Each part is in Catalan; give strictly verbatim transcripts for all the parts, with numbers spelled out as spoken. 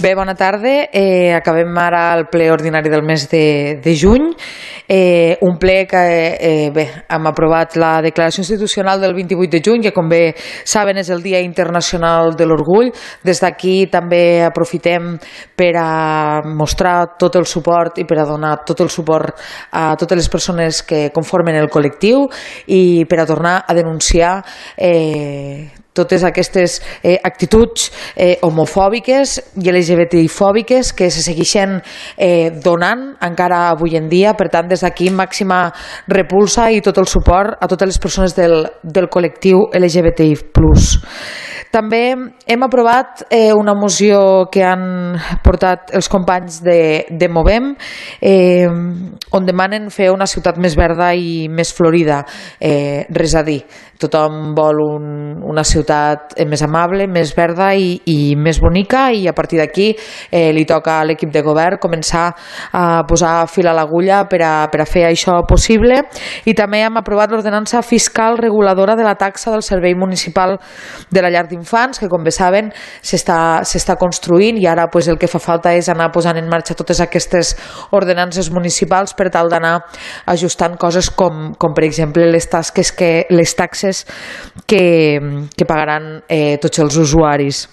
Bé, bona tarda. Eh, acabem ara el ple ordinari del mes de, de juny. Eh, un ple que eh, bé, hem aprovat la declaració institucional del vint-i-vuit de juny, que com bé saben és el Dia Internacional de l'Orgull. Des d'aquí també aprofitem per a mostrar tot el suport i per a donar tot el suport a totes les persones que conformen el col·lectiu i per a tornar a denunciar eh, totes aquestes eh, actituds eh, homofòbiques i L G B T I-fòbiques que se segueixen eh, donant encara avui en dia. Per tant, des d'aquí màxima repulsa i tot el suport a totes les persones del, del col·lectiu L G B T I plus. També hem aprovat eh, una moció que han portat els companys de, de Movem, eh, on demanen fer una ciutat més verda i més florida. Eh, res a dir, tothom vol un, una ciutat més amable, més verda i, i més bonica, i a partir d'aquí eh, li toca a l'equip de govern començar a posar fil a l'agulla per a, per a fer això possible. I també hem aprovat l'ordenança fiscal reguladora de la taxa del servei municipal de la llar d'infants, que com bé saben s'està construint, i ara pues, el que fa falta és anar posant en marxa totes aquestes ordenances municipals per tal d'anar ajustant coses com, com per exemple les tasques que, les taxes que, que pagaran eh, tots els usuaris.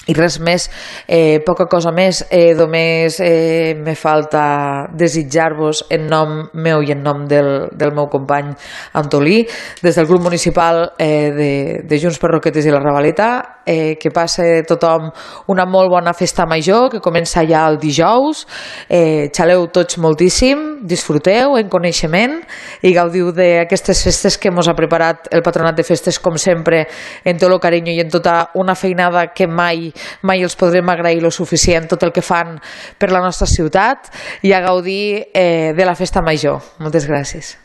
I res més, eh, poca cosa més, eh, només eh, me falta desitjar-vos en nom meu i en nom del, del meu company Antolí, des del grup municipal eh, de, de Junts per Roquetes i la Ravaleta, eh, que passe tothom una molt bona festa major, que comença ja el dijous. Eh, xaleu tots moltíssim, disfruteu en coneixement i gaudiu d'aquestes festes que mos ha preparat el Patronat de Festes, com sempre, en tot el carinyo i en tota una feinada que mai mai els podrem agrair lo suficient tot el que fan per la nostra ciutat, i a gaudir eh, de la festa major. Moltes gràcies.